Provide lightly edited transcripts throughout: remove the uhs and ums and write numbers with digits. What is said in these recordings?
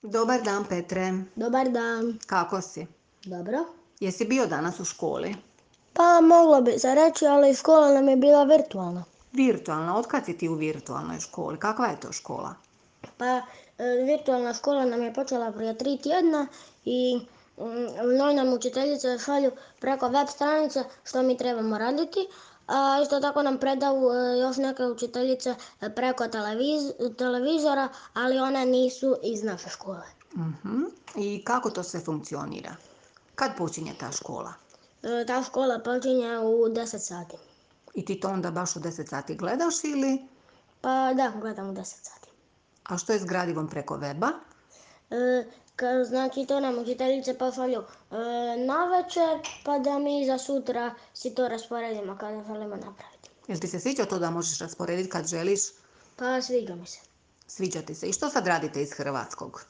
Dobar dan, Petre. Dobar dan. Kako si? Dobro. Jesi bio danas u školi? Pa moglo bi se reći, ali škola nam je bila virtualna. Virtualna. Otkad si ti u virtualnoj školi? Kakva je to škola? Pa virtualna škola nam je počela prije 3 tjedna i njoj nam učiteljice šalju preko web stranice što mi trebamo raditi, a isto tako nam predaju još neke učiteljice preko televizora, ali one nisu iz naše škole. I kako to sve funkcionira? Kad počinje ta škola? Ta škola počinje u 10 sati. I ti to onda baš u 10 sati gledaš ili? Pa da, gledam u 10 sati. A što je s gradivom preko weba? Znači to nam učiteljice pošalju navečer, pa da mi za sutra si to rasporedimo kada želimo napraviti. Jel ti se sviđa to da možeš rasporediti kad želiš? Pa sviđa mi se. Sviđa ti se. I što sad radite iz hrvatskog?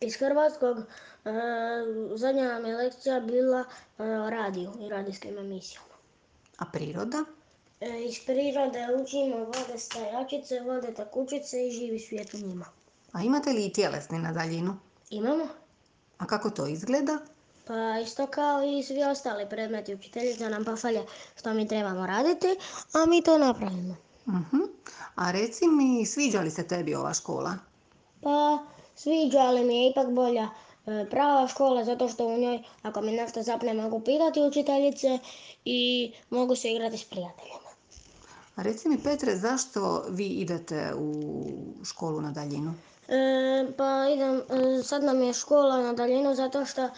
Iz hrvatskog zadnja nam je lekcija bila o radiju i radijskim emisijama. A priroda? Iz prirode učimo vode stajačice, vode tekućice i živi svijet u njima. A imate li i tjelesni na daljinu? Imamo? A kako to izgleda? Pa isto kao i svi ostali predmeti. Učiteljica nam pošalje što mi trebamo raditi, a mi to napravimo. A reci mi, sviđa li se tebi ova škola? Pa sviđa, ali mi je ipak bolja prava škola, zato što u njoj, ako mi nešto zapne, mogu pitati učiteljice i mogu se igrati s prijateljima. A reci mi, Petre, zašto vi idete u školu na daljinu? Pa sad nam je škola na daljinu zato što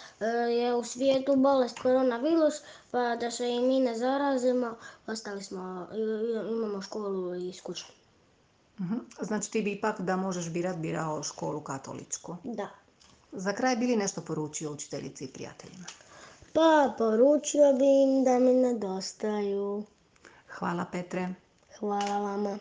je u svijetu bolest koronavirus, pa da se i mi ne zarazimo, imamo školu iz kuće. Znači ti bi ipak da možeš birao školu katoličku. Da. Za kraj bi li nešto poručio učiteljici i prijateljima? Pa poručio bi im da mi nedostaju. Hvala, Petre. Hvala vama.